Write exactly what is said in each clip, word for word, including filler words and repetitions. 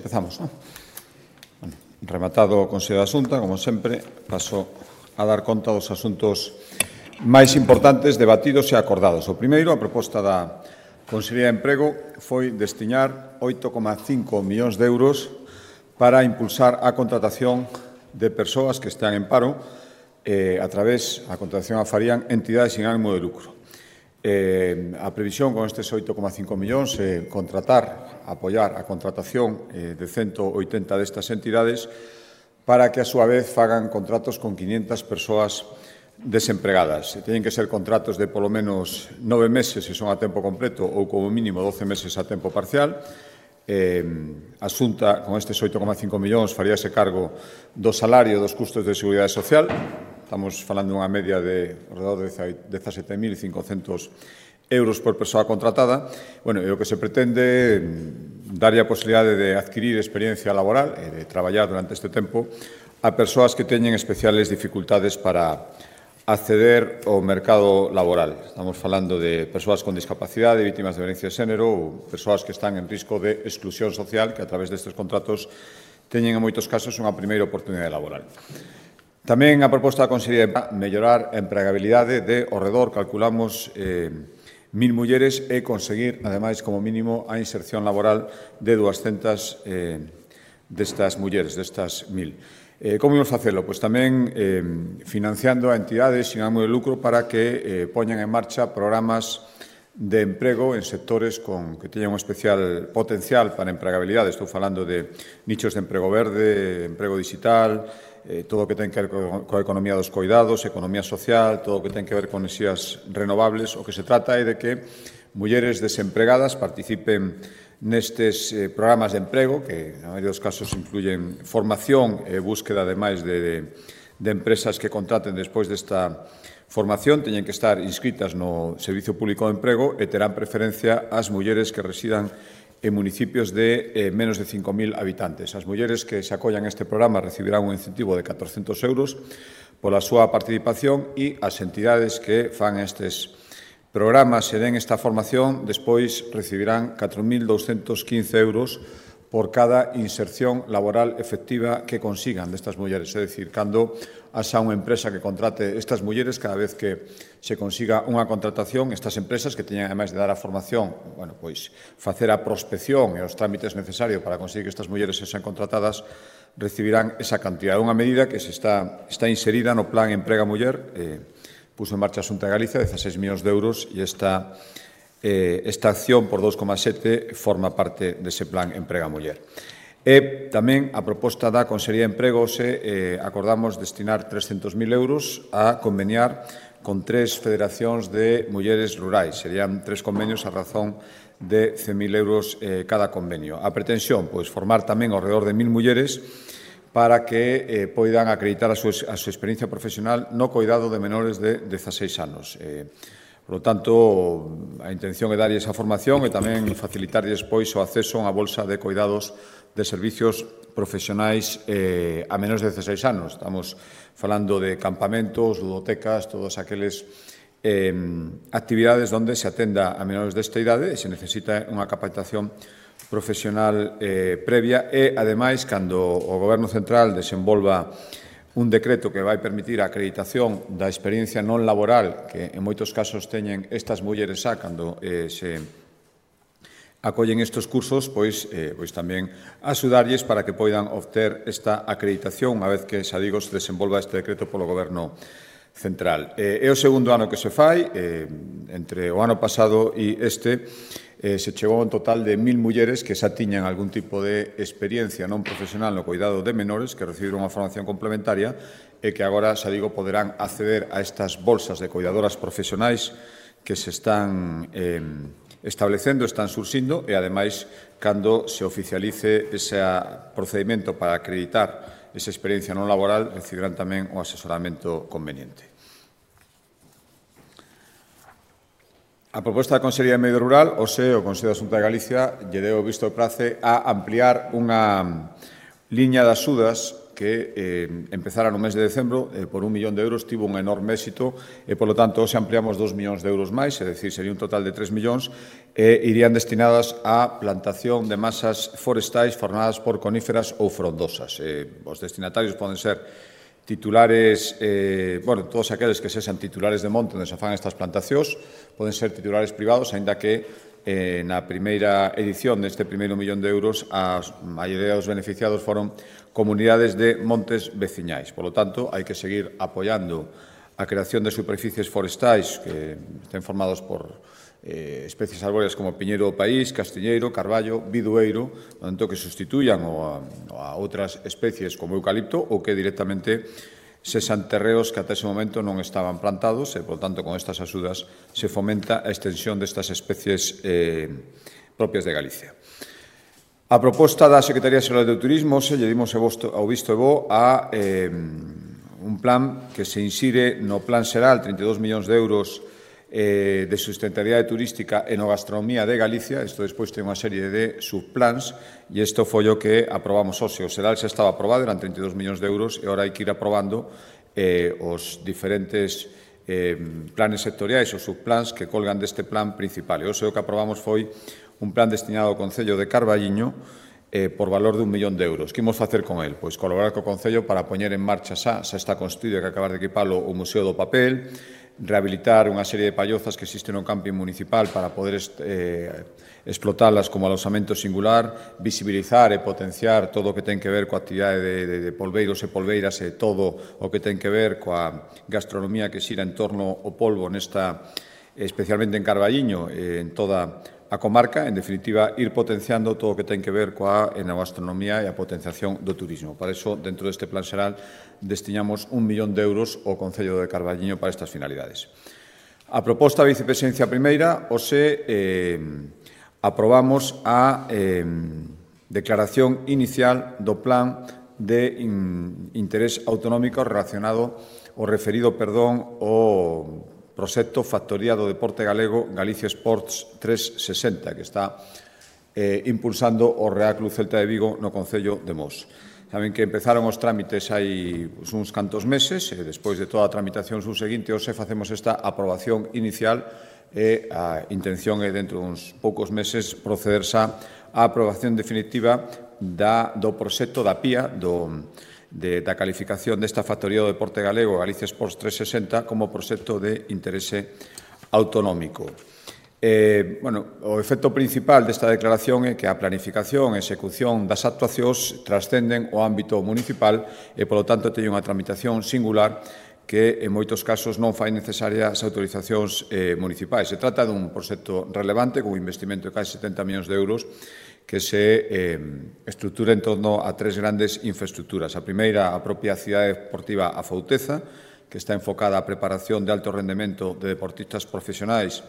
empezamos, non? Bueno, rematado o Consello da Xunta, como sempre, paso a dar conta dos asuntos máis importantes debatidos e acordados. O primeiro, a proposta da Consellería de Emprego, foi destinar oito coma cinco millóns de euros para impulsar a contratación de persoas que están en paro eh, a través, a contratación a farían entidades sin ánimo de lucro. Eh, a previsión con estes oito coma cinco millóns é eh, contratar, apoiar a contratación eh, de ciento oitenta destas entidades para que, a súa vez, fagan contratos con quinhentas persoas desempregadas. Teñen que ser contratos de polo menos nove meses se son a tempo completo ou como mínimo doce meses a tempo parcial. Eh, a Xunta, con estes oito coma cinco millóns, faríase cargo do salario e dos custos de seguridade social. Estamos falando dunha media de alrededor de dezasete mil cincocentos euros por persoa contratada. Bueno, e o que se pretende darlle a posibilidade de adquirir experiencia laboral e de traballar durante este tempo a persoas que teñen especiales dificultades para acceder ao mercado laboral. Estamos falando de persoas con discapacidade, vítimas de violencia de xénero ou persoas que están en risco de exclusión social que a través destes contratos teñen en moitos casos unha primeira oportunidade laboral. Tamén a proposta da Consellería de mellorar a empregabilidade de ao redor, calculamos, eh, mil mulleres e conseguir, ademais, como mínimo, a inserción laboral de duascentas eh, destas mulleres, destas mil. Eh, como imos facelo? Pois tamén eh, financiando a entidades sin ánimo de lucro para que eh, poñan en marcha programas de emprego en sectores con, que teñan un especial potencial para a empregabilidade. Estou falando de nichos de emprego verde, emprego digital, eh, todo o que ten que ver coa economía dos coidados, economía social, todo o que ten que ver con enerxías renovables. O que se trata é de que mulleres desempregadas participen nestes eh, programas de emprego, que na maioría dos casos incluyen formación e búsqueda, ademais, de, de, de empresas que contraten despois desta formación, teñen que estar inscritas no Servicio Público de Emprego e terán preferencia as mulleres que residan en municipios de eh, menos de cinco mil habitantes. As mulleres que se acollan a este programa recibirán un incentivo de catorcentos euros pola súa participación e as entidades que fan estes programas e den esta formación despois recibirán catro mil douscentos quince euros por cada inserción laboral efectiva que consigan destas mulleres. É dicir, cando haxa unha empresa que contrate estas mulleres, cada vez que se consiga unha contratación, estas empresas que teñen, ademais de dar a formación, bueno, pois facer a prospección e os trámites necesarios para conseguir que estas mulleres sexan contratadas, recibirán esa cantidad. É unha medida que se está, está inserida no Plan Emprega Muller, eh, puso en marcha a Xunta de Galicia, dezaseis millóns de euros, e esta, eh, esta acción por dous coma sete forma parte dese Plan Emprega Muller. E tamén a proposta da Consellería de Emprego se eh, acordamos destinar trescentos mil euros a conveniar con tres federacións de mulleres rurais. Serían tres convenios a razón de cen mil euros eh, cada convenio. A pretensión, pois, formar tamén ao redor de mil mulleres para que eh, poidan acreditar a súa, a súa experiencia profesional no coidado de menores de dezaseis anos. Eh, por lo tanto, a intención é darlle esa formación e tamén facilitar despois o acceso a unha bolsa de coidados de servicios profesionais eh, a menores de dezaseis anos. Estamos falando de campamentos, ludotecas, todos aqueles eh, actividades onde se atenda a menores desta idade e se necesita unha capacitación profesional eh, previa e, ademais, cando o Goberno Central desenvolva un decreto que vai permitir a acreditación da experiencia non laboral que en moitos casos teñen estas mulleres xa cando eh, se acollen estes cursos, pois, eh, pois tamén axudarlles para que poidan obter esta acreditación unha vez que, xa digo, se desenvolva este decreto polo Goberno Central. Eh, é o segundo ano que se fai, eh, entre o ano pasado e este, Eh, se chegou a un total de mil mulleres que xa tiñan algún tipo de experiencia non profesional no cuidado de menores, que recibiron unha formación complementaria e que agora, xa digo, poderán acceder a estas bolsas de cuidadoras profesionais que se están eh, establecendo, están surxindo e, ademais, cando se oficialice ese procedimento para acreditar esa experiencia non laboral, recibirán tamén o asesoramento conveniente. A proposta da Consellería de Medio Rural, o se o Consello da Xunta de Galicia lle deu visto de prace a ampliar unha liña de axudas que eh, empezara no mes de decembro eh, por un millón de euros, tivo un enorme éxito e, polo tanto, se ampliamos dos millóns de euros máis, é dicir, sería un total de tres millóns, e irían destinadas á plantación de masas forestais formadas por coníferas ou frondosas. Eh, os destinatarios poden ser titulares, eh, bueno, todos aqueles que sexan titulares de monte onde se fan estas plantacións, poden ser titulares privados, aínda que Eh, na primeira edición deste primeiro millón de euros a maioría dos beneficiados foron comunidades de montes veciñais. Por lo tanto, hai que seguir apoiando a creación de superficies forestais que estén formados por eh, especies arbóreas como piñeiro do país, castiñeiro, carballo, bidueiro, tanto que sustituyan ou a, ou a outras especies como eucalipto ou que directamente sexan terreos que ata ese momento non estaban plantados e, por tanto, con estas axudas se fomenta a extensión destas especies eh, propias de Galicia. A proposta da Secretaría Xeral de Turismo se lle dimos ao visto e bo a eh, un plan que se insire no Plan Xeral, trinta e dous millóns de euros eh, de sustentabilidade turística e no gastronomía de Galicia. Isto despois ten unha serie de subplans e isto foi o que aprobamos hoxe. O Xeral xa estaba aprobado, eran trinta e dous millóns de euros e agora hai que ir aprobando eh, os diferentes eh, planes sectoriais ou subplans que colgan deste plan principal. E hoxe o que aprobamos foi un plan destinado ao Concello de Carballiño eh, por valor de un millón de euros. Que imos facer con el? Pois colaborar co Concello para poñer en marcha xa, xa está construído e que acabar de equipalo o Museo do Papel, rehabilitar unha serie de pallozas que existen no camping municipal para poder eh, explotalas como alosamento singular, visibilizar e potenciar todo o que ten que ver coa actividade de, de, de polveiros e polveiras e todo o que ten que ver coa gastronomía que xira en torno ao polvo nesta, especialmente en Carballiño, eh, en toda a comarca, en definitiva, ir potenciando todo o que ten que ver coa enogastronomía e a potenciación do turismo. Para iso, dentro deste plan xeral, destinamos un millón de euros ao Concello de Carballiño para estas finalidades. A proposta da vicepresidencia primeira, hoxe, eh, aprobamos a eh, declaración inicial do plan de in, interés autonómico relacionado o referido, perdón, ao proxecto Factoría do Deporte Galego Galicia Sports trescentos e sesenta, que está eh, impulsando o Real Club Celta de Vigo no Concello de Mos. Saben que empezaron os trámites hai pues, uns cantos meses, e despois de toda a tramitación subseguinte, hoxe facemos esta aprobación inicial e a intención é, dentro duns poucos meses, proceder xa á aprobación definitiva da, do proxecto da P I A, do De, da calificación desta Factoría do Deporte Galego Galicia Sports trescentos e sesenta como proxecto de interese autonómico. Eh, bueno, o efecto principal desta declaración é que a planificación e execución das actuacións trascenden o ámbito municipal e, polo tanto, teñen unha tramitación singular que, en moitos casos, non fai necesarias as autorizacións eh, municipais. Se trata dun proxecto relevante, con un investimento de case setenta millóns de euros, que se eh, estrutura en torno a tres grandes infraestructuras. A primeira, a propia cidade deportiva A Fouteza, que está enfocada á preparación de alto rendemento de deportistas profesionais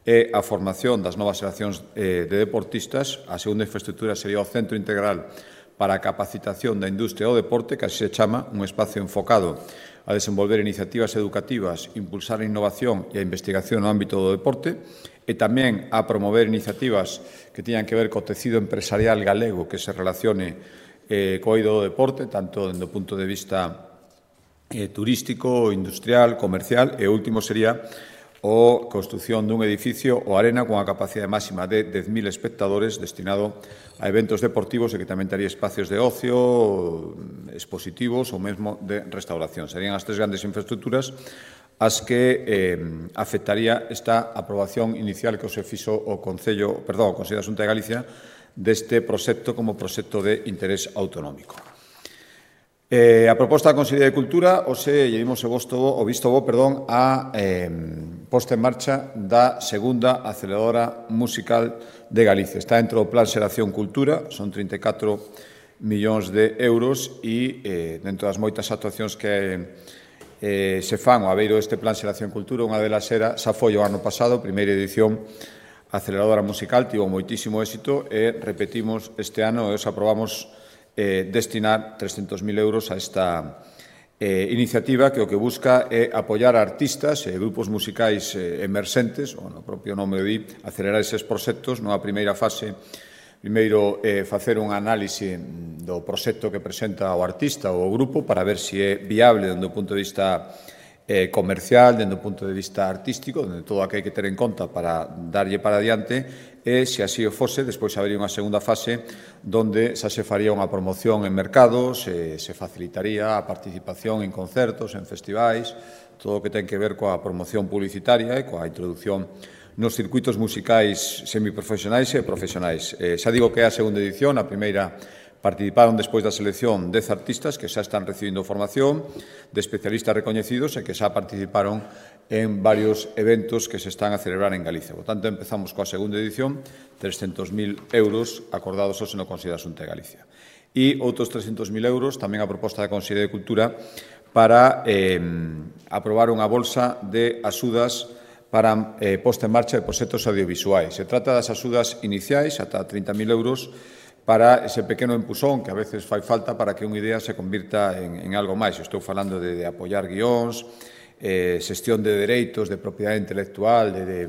e a formación das novas xeracións eh, de deportistas. A segunda infraestructura sería o Centro Integral para a Capacitación da Industria do Deporte, que así se chama, un espacio enfocado a desenvolver iniciativas educativas, impulsar a innovación e a investigación no ámbito do deporte, e tamén a promover iniciativas que teñan que ver co tecido empresarial galego que se relacione eh, co eido do deporte, tanto do punto de vista eh, turístico, industrial, comercial, e o último sería a construción dun edificio o arena con a capacidade máxima de dez mil espectadores destinado a eventos deportivos e que tamén tería espacios de ocio, expositivos ou mesmo de restauración. Serían as tres grandes infraestructuras as que eh, afectaría esta aprobación inicial que se fixo o Concello, perdón, o Consello da Xunta de Galicia deste proxecto como proxecto de interés autonómico. Eh, a proposta da Consellería de Cultura, hoxe lle dimos o, visto, o visto bo, perdón, a eh, posta en marcha da segunda aceleradora musical de Galicia. Está dentro do Plan Xeración Cultura, son trinta e catro millóns de euros e eh, dentro das moitas actuacións que eh, se fan ao abeiro deste Plan Xeración Cultura, unha delas era, xa foi o ano pasado, primeira edición, aceleradora musical, tivo moitísimo éxito e repetimos este ano e os aprobamos eh, destinar trescentos mil euros a esta eh, iniciativa que o que busca é apoiar a artistas e grupos musicais eh, emerxentes, o no propio nome di, acelerar eses proxectos nunha primeira fase. Primeiro, eh, facer un análise do proxecto que presenta o artista ou o grupo para ver se é viable dende o punto de vista eh, comercial, dende o punto de vista artístico, dende todo o que hai que ter en conta para darlle para adiante, e, se así o fose, despois habería unha segunda fase donde xa se faría unha promoción en mercados, e se facilitaría a participación en concertos, en festivais, todo o que ten que ver coa promoción publicitaria e coa introducción nos circuitos musicais semiprofesionais e profesionais. Eh, xa digo que é a segunda edición, a primeira participaron despois da selección dez artistas que xa están recibindo formación de especialistas recoñecidos e que xa participaron en varios eventos que se están a celebrar en Galicia. Por tanto, empezamos coa segunda edición, trescentos mil euros acordados hoxe no Consello da Xunta de Galicia. E outros trescentos mil euros, tamén a proposta da Consellería de Cultura, para eh, aprobar unha bolsa de axudas para eh, posta en marcha de proxectos audiovisuais. Se trata das axudas iniciais, ata trinta mil euros, para ese pequeno empusón que a veces fai falta para que unha idea se convirta en, en algo máis. Estou falando de, de apoiar guións, eh, xestión de dereitos, de propiedade intelectual, de, de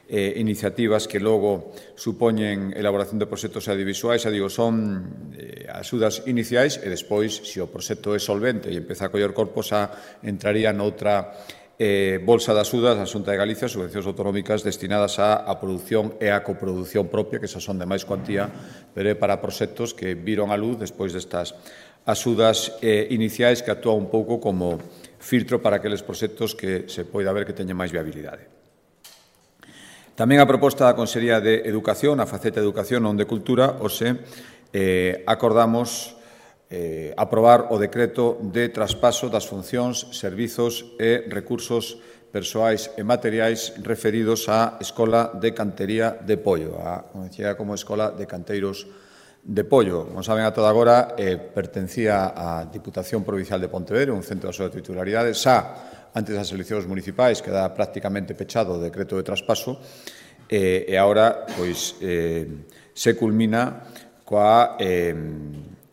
eh, iniciativas que logo supoñen elaboración de proxectos audiovisuais. Xa digo, son eh, axudas iniciais e despois, se o proxecto é solvente e empeza a coller corpo, xa entraría noutra Eh, bolsa de axudas da Xunta de Galicia, subvencións autonómicas destinadas á, a produción e a coproducción propia, que xa son de máis cuantía, pero é para proxectos que viron a luz despois destas axudas eh, iniciais que actúan un pouco como filtro para aqueles proxectos que se poida ver que teñen máis viabilidade. Tamén a proposta da Consellería de Educación, a faceta de Educación non de Cultura, hoxe eh, acordamos Eh, aprobar o decreto de traspaso das funcións, servizos e recursos persoais e materiais referidos á Escola de Cantería de Pollo, a conocida como Escola de Canteiros de Pollo. Como saben, a toda agora eh, pertencía á Diputación Provincial de Pontevedra, un centro da súa titularidade, xa antes das eleccións municipais, queda prácticamente pechado o decreto de traspaso, eh, e agora pois, eh, se culmina coa eh,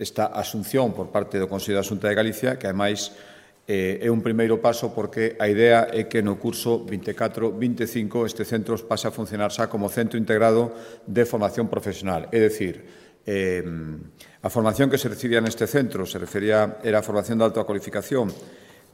esta asunción por parte do Consello da Xunta de Galicia, que, ademais, eh, é un primeiro paso porque a idea é que no curso vinte e catro vinte e cinco este centro pase a funcionar xa como centro integrado de formación profesional. É dicir, eh, a formación que se recibía neste centro se refería, era a formación de alta cualificación,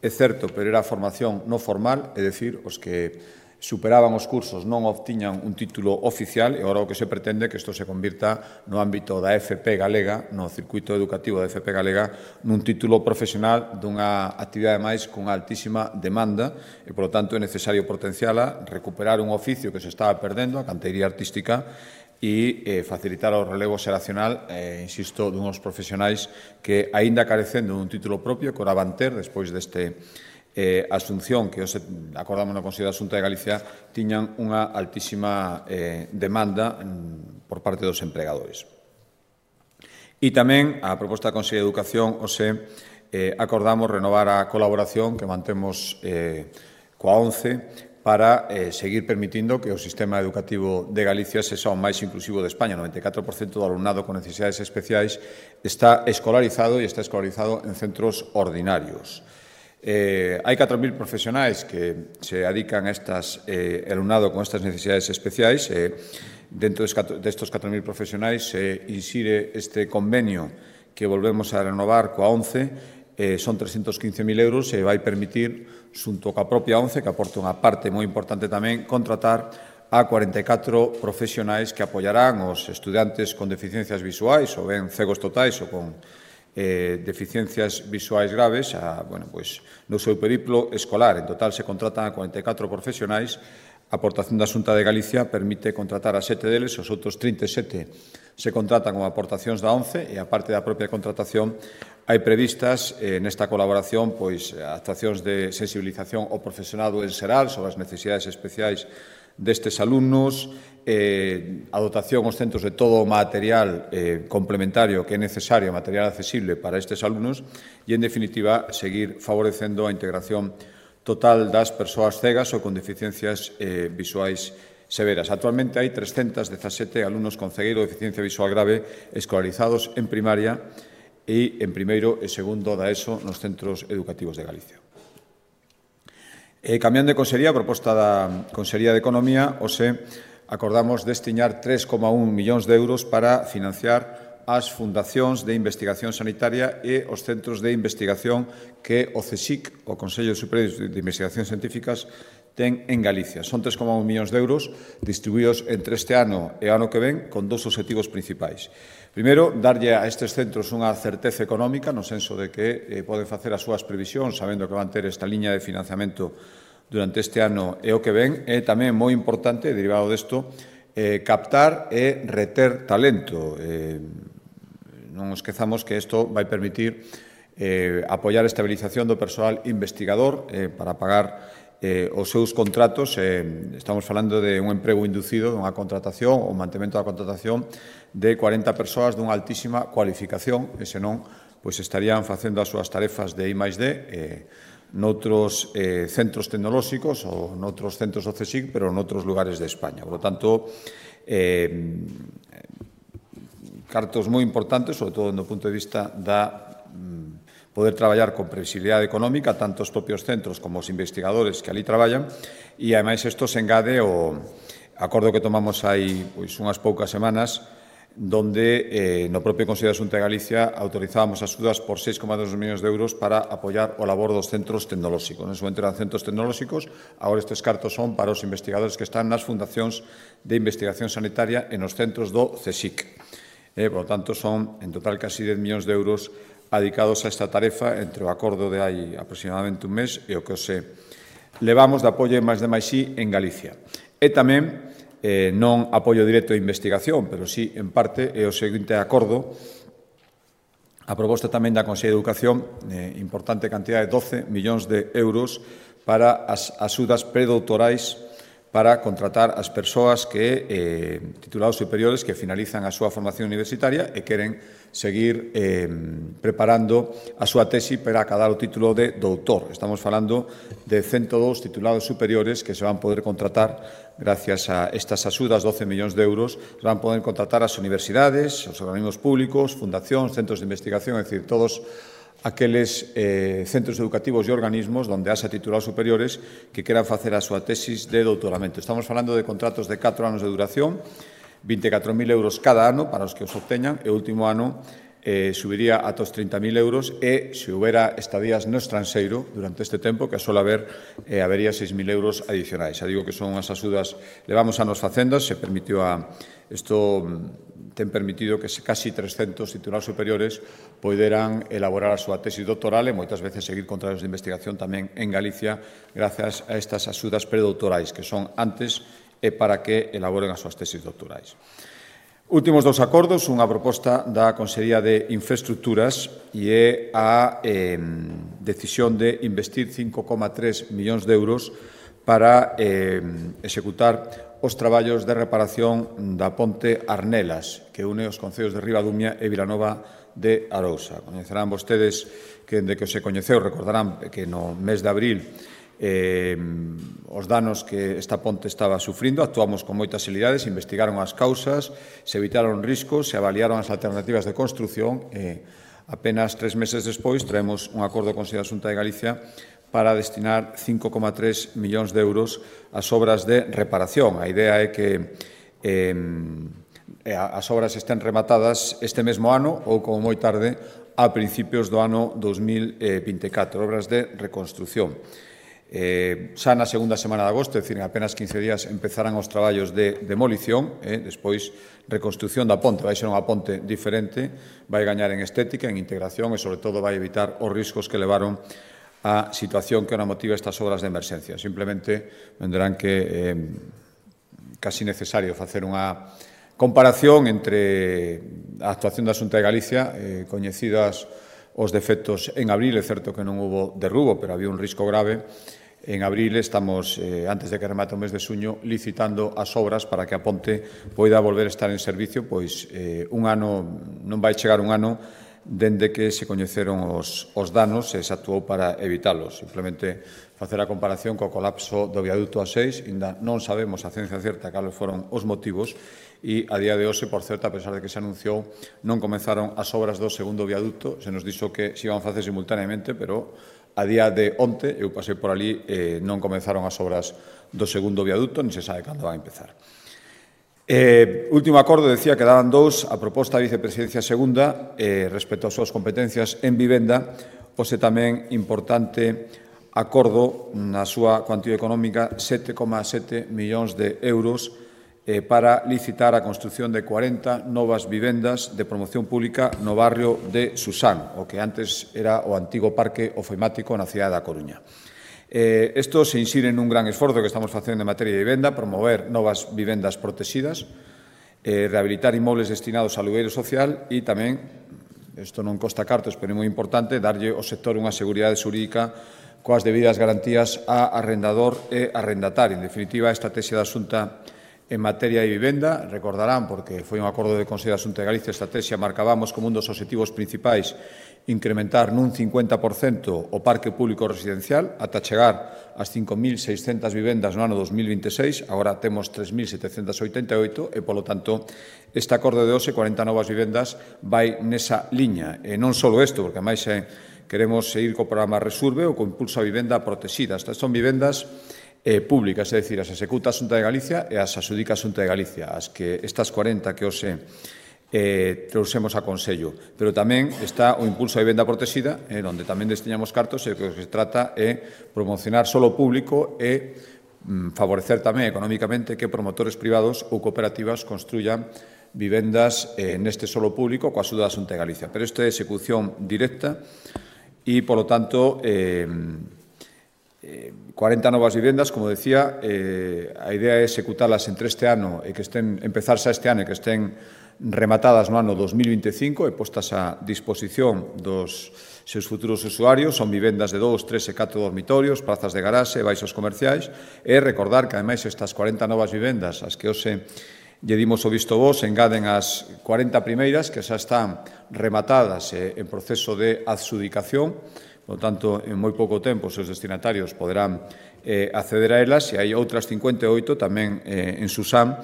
é certo, pero era a formación non formal, é dicir, os que superaban os cursos non obtiñan un título oficial, e agora o que se pretende é que isto se convirta no ámbito da F P galega, no circuito educativo da F P galega, nun título profesional dunha actividade máis cunha altísima demanda, e, polo tanto, é necesario potenciala, recuperar un oficio que se estaba perdendo, a canteiría artística, e eh, facilitar o relevo xeracional, eh, insisto, dunhos profesionais que, aínda carecendo dun título propio, que ora van ter, despois deste eh, asunción que os acordamos no Consello da Xunta de Galicia, tiñan unha altísima eh, demanda mm, por parte dos empregadores. E tamén, a proposta da Consello de Educación, hoxe eh, acordamos renovar a colaboración que mantemos eh, coa ONCE para eh, seguir permitindo que o sistema educativo de Galicia sexa o máis inclusivo de España. O noventa e catro por cento do alumnado con necesidades especiais está escolarizado e está escolarizado en centros ordinarios. Eh, hai catro mil profesionais que se dedican a estas, eh, alumnado con estas necesidades especiais. Eh, dentro destes catro mil profesionais se insire este convenio que volvemos a renovar coa ONCE. Eh, son trescentos quince mil euros e vai permitir, xunto coa propia ONCE, que aporta unha parte moi importante tamén, contratar a cuarenta e catro profesionais que apoiarán os estudantes con deficiencias visuais, ou ben cegos totais ou con eh, deficiencias visuais graves, a, bueno, pois, no seu periplo escolar. En total se contratan a cuarenta e catro profesionais. A aportación da Xunta de Galicia permite contratar a sete deles, os outros trinta e sete se contratan como aportacións da ONCE, e a parte da propia contratación hai previstas eh, nesta colaboración pois actuacións de sensibilización ao profesorado en xeral sobre as necesidades especiais destes alumnos, eh, a dotación aos centros de todo o material eh, complementario que é necesario, material accesible para estes alumnos, e, en definitiva, seguir favorecendo a integración total das persoas cegas ou con deficiencias eh, visuais severas. Actualmente hai trescentos dezasete alumnos con cegueira ou deficiencia visual grave escolarizados en primaria e en primeiro e segundo da ESO nos centros educativos de Galicia. E, cambiando de consellería, a proposta da Consellería de Economía, hoxe acordamos destinar tres coma un millóns de euros para financiar as fundacións de investigación sanitaria e os centros de investigación que o CSIC, o Consello Superior de Investigacións Científicas, ten en Galicia. Son tres coma un millóns de euros distribuídos entre este ano e o ano que ven con dous obxectivos principais. Primeiro, darlle a estes centros unha certeza económica no senso de que eh, poden facer as súas previsións sabendo que van ter esta liña de financiamento durante este ano e o que ven. E tamén moi importante, derivado desto, eh, captar e reter talento. Eh, non esquezamos que isto vai permitir eh, apoiar a estabilización do persoal investigador eh, para pagar Eh, os seus contratos. Eh, estamos falando de un emprego inducido, dunha contratación, o mantemento da contratación de cuarenta persoas dunha altísima cualificación, e senón, pois estarían facendo as súas tarefas de I máis D eh, noutros eh, centros tecnolóxicos ou noutros centros do CSIC, pero noutros lugares de España. Por lo tanto, eh, cartos moi importantes, sobre todo no punto de vista da poder traballar con previsibilidade económica, tanto os propios centros como os investigadores que ali traballan, e, ademais, isto se engade o acordo que tomamos hai pois, unhas poucas semanas, donde eh, no propio Consello da Xunta de Galicia autorizábamos axudas por seis coma dos millóns de euros para apoiar o labor dos centros tecnolóxicos. En ese momento eran centros tecnolóxicos, agora estes cartos son para os investigadores que están nas fundacións de investigación sanitaria e nos centros do CSIC. Eh, por lo tanto, son en total casi dez millóns de euros adicados a esta tarefa entre o acordo de hai aproximadamente un mes e o que os levamos de apoio máis de máis sí en Galicia. E tamén, eh, non apoio directo a investigación, pero sí, en parte, é o seguinte acordo, a proposta tamén da Consellería de Educación, eh, importante cantidad de doce millóns de euros para as axudas predoutorais para contratar as persoas que, eh, titulados superiores, que finalizan a súa formación universitaria e queren seguir eh, preparando a súa tesi para acadar o título de doutor. Estamos falando de ciento dous titulados superiores que se van poder contratar gracias a estas axudas, doce millóns de euros, se van poder contratar as universidades, os organismos públicos, fundacións, centros de investigación, é dicir, todos aqueles eh, centros educativos e organismos onde haxa titulados superiores que queran facer a súa tesis de doutoramento. Estamos falando de contratos de catro anos de duración, vinte e catro mil euros cada ano para os que os obteñan, e o último ano eh, subiría ata os trinta mil euros e, se houbera estadías no estranxeiro durante este tempo, que suele haber, eh, habería seis mil euros adicionais. Xa digo que son unhas axudas, levamos anos facendas, se permitiu a isto ten permitido que casi trescentos titulados superiores poderan elaborar a súa tesis doctoral e moitas veces seguir con traballos de investigación tamén en Galicia grazas a estas axudas predoutorais que son antes e para que elaboren as súas tesis doctorais. Últimos dous acordos, unha proposta da Consellería de Infraestructuras e é a eh, decisión de investir cinco coma tres millóns de euros para eh, executar os traballos de reparación da ponte Arnelas, que une os concellos de Ribadumia e Vilanova de Arousa. Coñecerán vostedes que, dende que se coñeceu, recordarán que no mes de abril eh, os danos que esta ponte estaba sufrindo, actuamos con moitas celeridades, investigaron as causas, se evitaron riscos, se avaliaron as alternativas de construción e apenas tres meses despois traemos un acordo con a Xunta de Galicia para destinar cinco coma tres millóns de euros ás obras de reparación. A idea é que eh, as obras estén rematadas este mesmo ano ou, como moi tarde, a principios do ano dos mil vinte e catro, obras de reconstrucción. Eh, xa na segunda semana de agosto, é dicir, en apenas quince días, empezarán os traballos de demolición, eh, despois reconstrucción da ponte, vai ser unha ponte diferente, vai gañar en estética, en integración e, sobre todo, vai evitar os riscos que levaron a situación que ahora motiva estas obras de emerxencia. Simplemente vendrán que é eh, casi necesario facer unha comparación entre a actuación da Xunta de Galicia, eh, coñecidas os defectos en abril, é certo que non houbo derrubo, pero había un risco grave. En abril estamos, eh, antes de que remate o mes de xuño, licitando as obras para que a ponte poida volver a estar en servicio, pois eh, un ano, non vai chegar un ano dende que se coñeceron os, os danos e se actuou para evitalos. Simplemente facer a comparación co colapso do viaduto A seis, ainda non sabemos a ciencia certa cales foron os motivos e a día de hoxe, por certo, a pesar de que se anunciou, non comenzaron as obras do segundo viaduto, se nos dixo que se iban a facer simultaneamente, pero a día de onte, eu pasei por ali, eh, non comenzaron as obras do segundo viaduto, ni se sabe cando van a empezar. Eh, último acordo, decía que daban dous, a proposta da vicepresidencia segunda, eh, respecto ás súas competencias en vivenda, ose tamén importante acordo na súa cuantía económica sete coma sete millóns de euros eh, para licitar a construción de cuarenta novas vivendas de promoción pública no barrio de Susán, o que antes era o antigo parque ofeimático na cidade da Coruña. Eh, isto se insire nun gran esforzo que estamos facendo en materia de vivenda, promover novas vivendas protegidas, eh, rehabilitar inmobles destinados ao alugueiro social e tamén, isto non costa cartos, pero é moi importante, darlle ao sector unha seguridade xurídica coas debidas garantías a arrendador e arrendatario. En definitiva, a estrategia da Xunta en materia de vivenda, recordarán, porque foi un acordo de Consello da Xunta de Galicia, a estrategia marcábamos como un dos obxectivos principais incrementar nun cincuenta por cento o parque público residencial ata chegar ás cinco mil seiscentas vivendas no ano dos mil vinte e seis, agora temos tres mil setecentas oitenta e oito e, polo tanto, este acordo de hoxe, cuarenta novas vivendas, vai nesa liña. E non só isto, porque máis eh, queremos seguir co programa Resurbe ou co impulso a vivenda protegida. Estas son vivendas eh, públicas, é dicir, as executa a Xunta de Galicia e as asudica a Xunta de Galicia, as que estas cuarenta que hoxe eh, trouxemos a Consello. Pero tamén está o impulso a vivenda protegida, eh, onde tamén destiñamos cartos, e o que se trata é promocionar solo público e mm, favorecer tamén económicamente que promotores privados ou cooperativas construyan vivendas eh, neste solo público coa axuda da Xunta de Galicia. Pero isto é execución directa e, polo tanto, eh, eh, cuarenta novas vivendas, como decía, eh, a idea é executalas entre este ano e que estén, empezarse este ano e que estén rematadas no ano dos mil vinte e cinco e postas a disposición dos seus futuros usuarios. Son vivendas de dous, tres e catro dormitorios, plazas de garaxe, baixos comerciais. E recordar que, ademais, estas cuarenta novas vivendas, as que hoxe lle dimos o visto vos, engaden as cuarenta primeiras que xa están rematadas e en proceso de adxudicación. Por tanto, en moi pouco tempo os seus destinatarios poderán eh, acceder a elas, e hai outras cincuenta e oito tamén eh, en Susán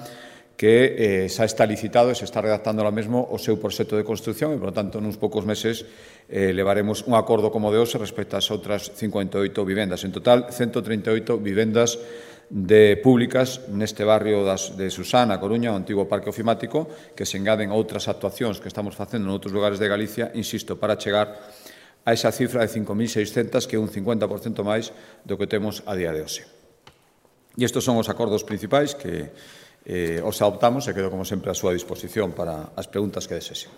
que eh, xa está licitado e se está redactando ahora mesmo o seu proxecto de construcción e, por lo tanto, nuns poucos meses eh, levaremos un acordo como de hoxe respecto ás outras cincuenta e oito vivendas. En total, ciento treinta e oito vivendas de públicas neste barrio das, de Susán, a Coruña, o antigo parque ofimático, que se engaden a outras actuacións que estamos facendo en outros lugares de Galicia, insisto, para chegar a esa cifra de cinco mil seiscentas, que é un cincuenta por cento máis do que temos a día de hoxe. E estes son os acordos principais que Eh, os adoptamos e quedo, como sempre, a súa disposición para as preguntas que desexen.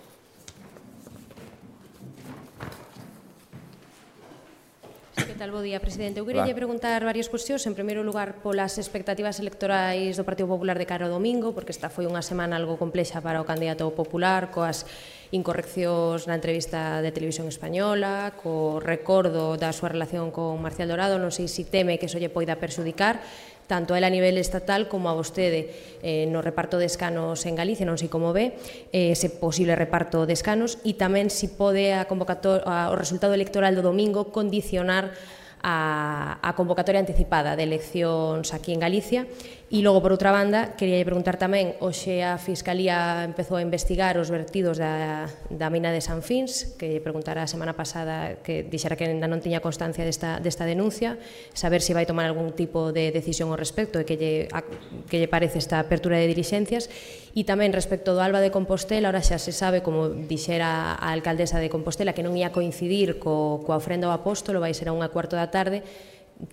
Que tal, bo día, presidente. Eu queria preguntar varias cuestións. En primeiro lugar, polas expectativas electorais do Partido Popular de cara ao domingo, porque esta foi unha semana algo complexa para o candidato popular, coas incorreccións na entrevista de Televisión Española, co recordo da súa relación con Marcial Dorado. Non sei se teme que iso lle poida perxudicar tanto a él a nivel estatal como a vostede eh, no reparto de escanos en Galicia, non sei como ve eh, ese posible reparto de escanos, e tamén se pode a a, o resultado electoral do domingo condicionar a, a convocatoria anticipada de eleccións aquí en Galicia. E logo, por outra banda, queria preguntar tamén, hoxe a Fiscalía empezou a investigar os vertidos da, da mina de San Fins, que preguntara a semana pasada, que dixera que ainda non tiña constancia desta, desta denuncia, saber se vai tomar algún tipo de decisión ao respecto e que lle, a, que lle parece esta apertura de dilixencias. E tamén respecto do Alba de Compostela, ahora xa se sabe, como dixera a alcaldesa de Compostela, que non ia coincidir co, coa ofrenda ao apóstolo, vai ser a unha cuarto da tarde.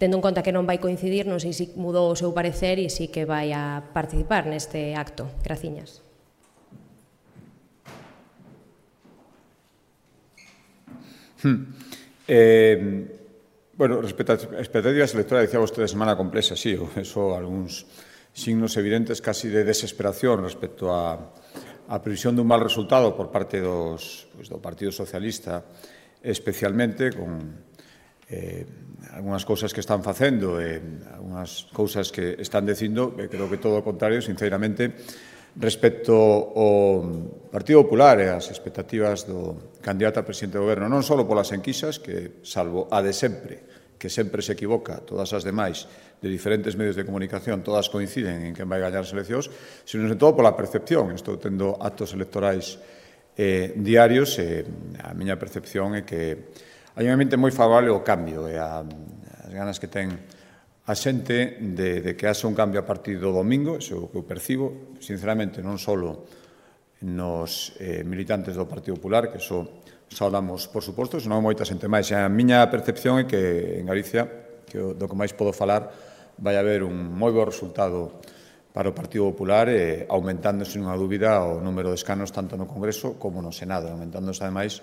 Tendo en conta que non vai coincidir, non sei se mudou o seu parecer e si que vai a participar neste acto. Graciñas. Hmm. Eh, bueno, respecto a expectativas electorales, decía vostede semana complexa, sí, eso, algúns signos evidentes casi de desesperación respecto a, a previsión dun mal resultado por parte dos, pues, do Partido Socialista, especialmente con eh, algunhas cousas que están facendo e eh, algunhas cousas que están dicindo, e creo que todo o contrario, sinceramente, respecto ao Partido Popular e as expectativas do candidato a presidente do goberno, non só polas enquisas, que, salvo a de sempre, que sempre se equivoca, todas as demais, de diferentes medios de comunicación, todas coinciden en quen vai gañar as eleccións, sino, sobre todo, pola percepción. Estou tendo actos electorais eh, diarios e a miña percepción é que hai un ambiente moi favorable ao cambio e a, as ganas que ten a xente de, de que haxa un cambio a partir do domingo, iso é o que eu percibo, sinceramente, non só nos eh, militantes do Partido Popular, que iso saudamos, por suposto, senón moita xente máis. A miña percepción é que en Galicia, que do que máis podo falar, vai haber un moi bo resultado para o Partido Popular, eh, aumentando, sen unha dúbida, o número de escanos tanto no Congreso como no Senado, aumentándose, ademais,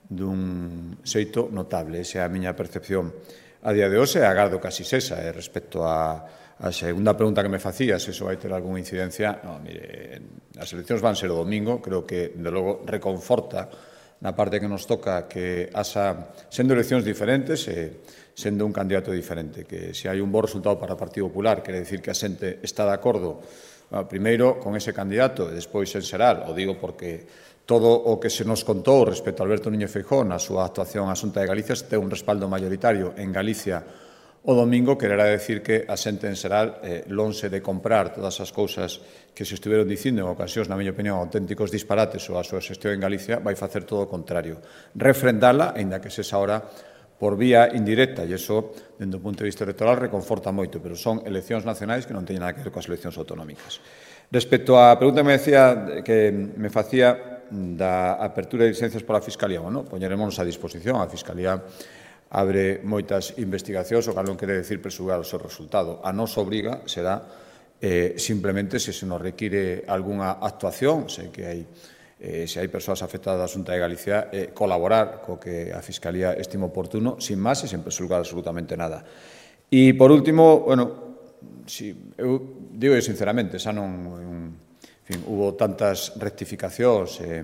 dun xeito notable. Esa é a miña percepción a día de hoxe, e agardo casi sesa, eh, respecto a A segunda pregunta que me facías, se iso vai ter algunha incidencia, no, mire, as eleccións van ser o domingo, creo que, de logo, reconforta na parte que nos toca que asa, sendo eleccións diferentes, e sendo un candidato diferente, que se hai un bo resultado para o Partido Popular, quere dicir que a xente está de acordo, bueno, primeiro con ese candidato e despois en xeral, o digo porque todo o que se nos contou respecto a Alberto Núñez Feijóo na súa actuación á Xunta de Galicia ten un respaldo mayoritario en Galicia o domingo, quererá decir que a xente en xeral, eh, lonxe de comprar todas as cousas que se estiveron dicindo en ocasións, na miña opinión, auténticos disparates ou a súa xestión en Galicia, vai facer todo o contrario. Refrendala, aínda que se xa ahora por vía indirecta, e iso, dentro do punto de vista electoral, reconforta moito, pero son eleccións nacionais que non teñen nada que ver coas eleccións autonómicas. Respecto á pregunta que me decía, que me facía da apertura de licencias pola Fiscalía, bueno, poñeremos a disposición, a Fiscalía abre moitas investigacións, o cal non quere decir presugar o seu resultado. A nosa obriga será eh, simplemente se se nos require algunha actuación, sei que hai, eh, se hai persoas afectadas da Xunta de Galicia, eh, colaborar co que a Fiscalía estime oportuno, sin máis e sen presugar absolutamente nada. E, por último, bueno, si, eu digo sinceramente, xa non, en fin, hubo tantas rectificacións, eh,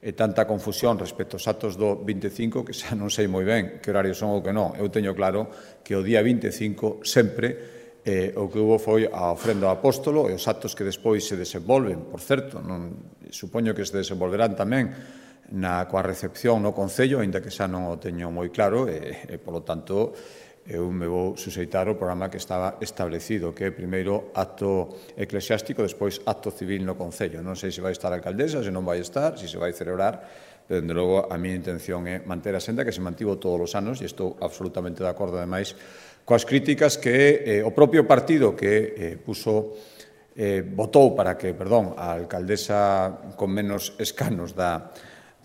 e tanta confusión respecto aos actos do vinte e cinco que xa non sei moi ben que horarios son ou que non. Eu teño claro que o día vinte e cinco sempre eh, o que hubo foi a ofrenda ao apóstolo e os actos que despois se desenvolven, por certo, non, supoño que se desenvolverán tamén na coa recepción no Concello, aínda que xa non o teño moi claro e, e polo tanto, eu me vou suseitar o programa que estaba establecido, que é primeiro acto eclesiástico, despois acto civil no Concello. Non sei se vai estar a alcaldesa, se non vai estar, se se vai celebrar, pero, dende logo, a miña intención é manter a senda que se mantivo todos os anos, e estou absolutamente de acordo, ademais, coas críticas que eh, o propio partido que eh, puso, eh, votou para que, perdón, a alcaldesa con menos escanos da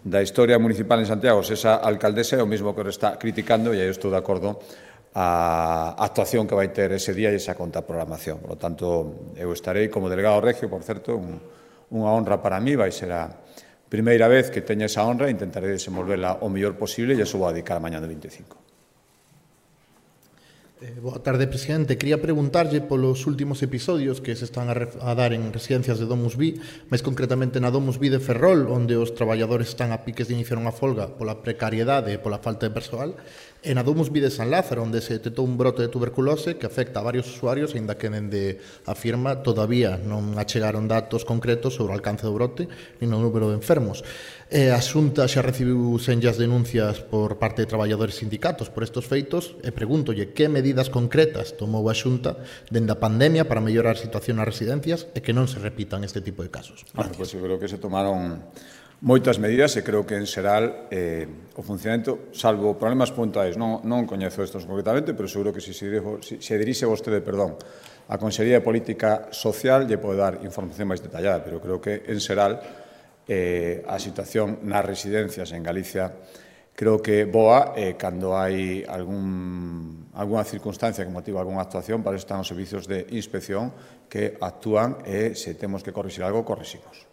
da historia municipal en Santiago, se esa alcaldesa é o mesmo que o está criticando, e aí estou de acordo a actuación que vai ter ese día e esa contraprogramación. Por lo tanto, eu estarei como delegado regio, por certo, un, unha honra para mí, vai ser a primeira vez que teña esa honra e intentarei desenvolverla o mellor posible e iso vou a dedicar mañá do vinte e cinco. Eh, boa tarde, presidente. Quería preguntarlle polos últimos episodios que se están a, a dar en residencias de DomusVi, máis concretamente na DomusVi de Ferrol, onde os traballadores están a piques de iniciar unha folga pola precariedade e pola falta de persoal, e na DomusVi de San Lázaro, onde se detectou un brote de tuberculose que afecta a varios usuarios, aínda que dende a firma todavía non achegaron datos concretos sobre o alcance do brote nin o número de enfermos. E a Xunta xa recibiu senllas denuncias por parte de traballadores sindicatos por estes feitos e pregúntolle que medidas concretas tomou a Xunta dende a pandemia para mellorar a situación nas residencias e que non se repitan este tipo de casos. Bueno, pois eu creo que se tomaron moitas medidas e creo que en xeral eh, o funcionamento, salvo problemas puntuais, non, non coñezo estos concretamente, pero seguro que se, se, se, se dirixe vostede, perdón, a Consellería de Política Social lle pode dar información máis detallada, pero creo que en xeral eh, a situación nas residencias en Galicia creo que boa eh, cando hai algún, alguna circunstancia que motiva algunha actuación, para eso están os servicios de inspección que actúan e se temos que corrixir algo, corriximos.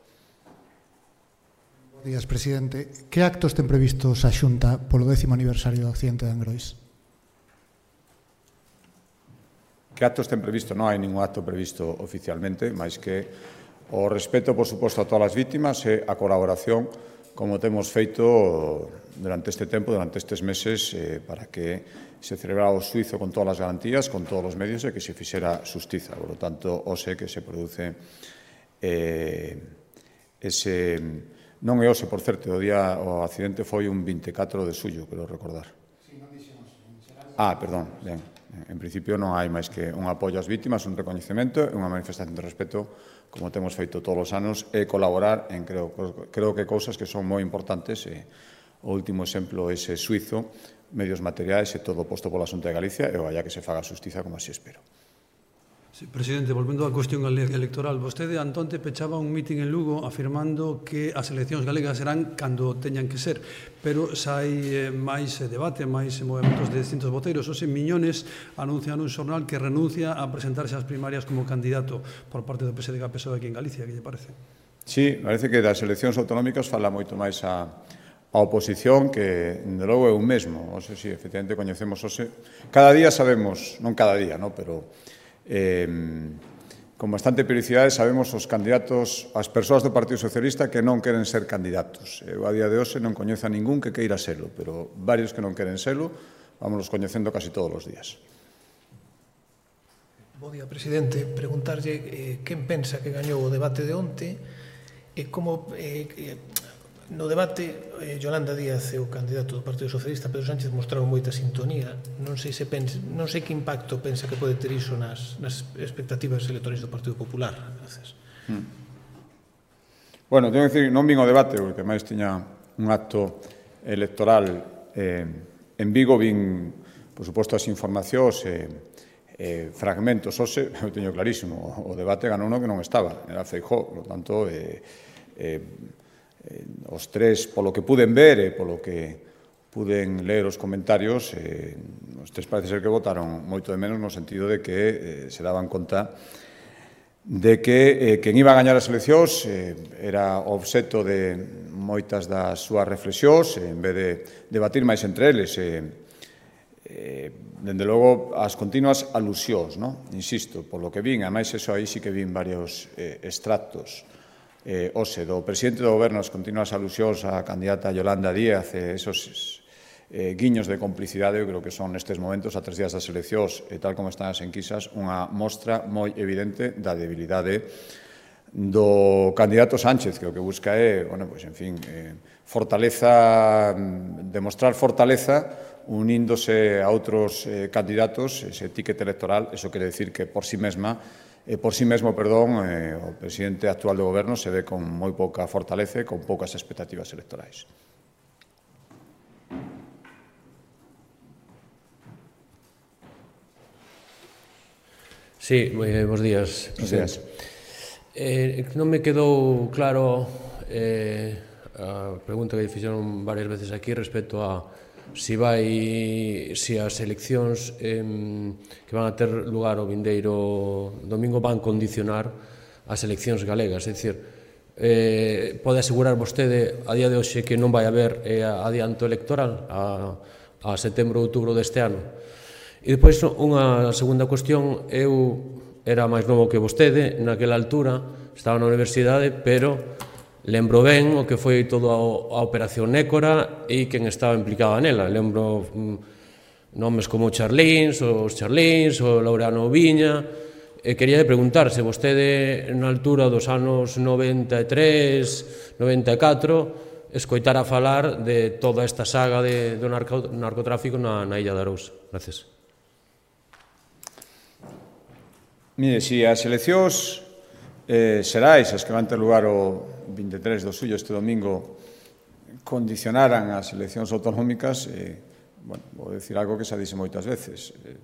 Buenos días, presidente. Que actos ten previstos a Xunta polo décimo aniversario do accidente de Angrois? Que actos ten previsto? Non hai ningún acto previsto oficialmente, máis que o respeto, por suposto, a todas as vítimas e a colaboración, como temos feito durante este tempo, durante estes meses, eh, para que se celebrara o xuizo con todas as garantías, con todos os medios e que se fixera xustiza. Por lo tanto, hoxe que se produce eh, ese... Non é hoxe, por certo, o día o accidente foi un vinte e catro de xullo, quero recordar. Ah, perdón, ben. En principio non hai máis que un apoio ás vítimas, un recoñecemento e unha manifestación de respeto, como temos feito todos os anos, e colaborar en, creo, creo que, cousas que son moi importantes e o último exemplo ese suizo, medios materiais e todo posto pola Xunta de Galicia e vaya que se faga xustiza como así espero. Sí, presidente, volvendo á cuestión electoral, vostede antonte pechaba un mitin en Lugo afirmando que as eleccións galegas serán cando teñan que ser, pero xa hai máis debate, máis movimentos de distintos voteiros. Ose Miñones anuncia nun xornal que renuncia a presentarse ás primarias como candidato por parte do P S D G P S O E aquí en Galicia, que lle parece? Sí, parece que das eleccións autonómicas fala moito máis a, a oposición que, de logo, é un mesmo. Ose, sí, efectivamente, coñecemos ose. Cada día sabemos, non cada día, no, pero eh, con bastante periodicidade sabemos os candidatos, as persoas do Partido Socialista que non queren ser candidatos. Eu, a día de hoxe, non coñezo a ningún que queira selo, pero varios que non queren selo, vámonos coñecendo casi todos os días. Bo día, presidente. Preguntarlle eh, quen pensa que gañou o debate de onte e como eh, no debate eh, Yolanda Díaz é o candidato do Partido Socialista, Pedro Sánchez mostraron moita sintonía. Non sei se pensa, non sei que impacto pensa que pode ter iso nas, nas expectativas electorais do Partido Popular. Gracias. Hmm. Bueno, tengo que decir, non vin o debate, porque máis tiña un acto electoral eh, en Vigo, vin, por suposto, as informacións e eh, fragmentos, ose, eu teño clarísimo, o debate ganou uno que non estaba, era Feijóo, por tanto, eh, eh, eh, os tres, polo que puden ver e polo que puden ler os comentarios, eh, os tres parece ser que votaron moito de menos no sentido de que eh, se daban conta de que eh, quen iba a gañar as eleccións eh, era obxecto de moitas das súas reflexións, eh, en vez de debatir máis entre eles, eh, eh, dende logo, as continuas alusións, no? Insisto, por lo que vin, ademais, eso aí sí que vin varios eh, extractos, eh, ose, do presidente do goberno, as continuas alusións á candidata Yolanda Díaz, eh, esos eh, guiños de complicidade, eu creo que son nestes momentos, a tres días das eleccións, e tal como están as enquisas, unha mostra moi evidente da debilidade do candidato Sánchez, que o que busca é, bueno, pois, en fin, eh, fortaleza, demostrar fortaleza uníndose a outros eh, candidatos, ese ticket electoral, eso quere decir que por sí mesma, eh, por sí mesmo, perdón, eh, o presidente actual do goberno se ve con moi pouca fortaleza e con poucas expectativas electorais. Sí, eh, bons días, presidente. Bos días. Eh, non me quedou claro eh, a pregunta que fixeron varias veces aquí respecto a si vai, si as eleccións eh, que van a ter lugar o vindeiro domingo van condicionar as eleccións galegas, é dicir, eh, pode asegurar vostede a día de hoxe que non vai haber eh, adianto electoral a, a setembro ou outubro deste ano. E depois unha segunda cuestión, eu era máis novo que vostede naquela altura, estaba na universidade, pero lembro ben o que foi toda a operación Nécora e quen estaba implicado nela. Lembro mm, nomes como Charlins, os Charlins, o Laureano Viña, e quería preguntar se vostede na altura dos anos noventa e tres, noventa e catro escoitara falar de toda esta saga de, do narco, narcotráfico na, na Illa de Arousa. Gracias. Mire, si as eleccións eh, xerais, as que van ter lugar o vinte e tres do suyo este domingo, condicionaran as eleccións autonómicas, eh, bueno, vou dicir algo que xa dixe moitas veces, eh,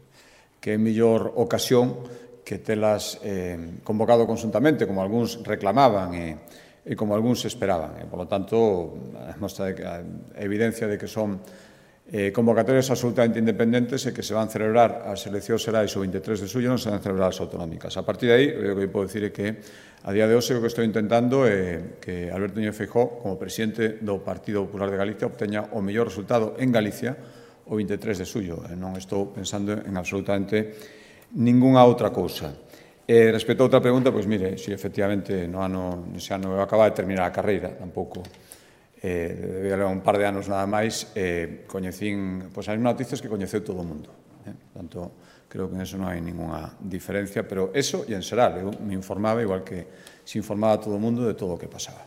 que é mellor ocasión que telas eh, convocado conjuntamente, como algúns reclamaban e, e como algúns esperaban. E, por lo tanto, a mostra de que, a evidencia de que son eh, convocatorias absolutamente independentes e que se van celebrar as eleccións xerais o vinte e tres de suyo, non se van celebrar as autonómicas. A partir de aí, o que podo dicir é que a día de hoxe o que estou intentando é que Alberto Núñez Feijóo, como presidente do Partido Popular de Galicia, obteña o mellor resultado en Galicia o vinte e tres de suyo. E non estou pensando en absolutamente ningunha outra cousa. E respecto a outra pregunta, pois mire, si efectivamente no ano, nese ano eu acababa de terminar a carreira, tampouco eh, debía levar un par de anos nada máis, eh, coñecín pois, as noticias que coñeceu todo o mundo. Eh? Portanto, creo que en eso non hai ninguna diferencia, pero eso e en xeral, eu me informaba igual que se informaba todo o mundo de todo o que pasaba.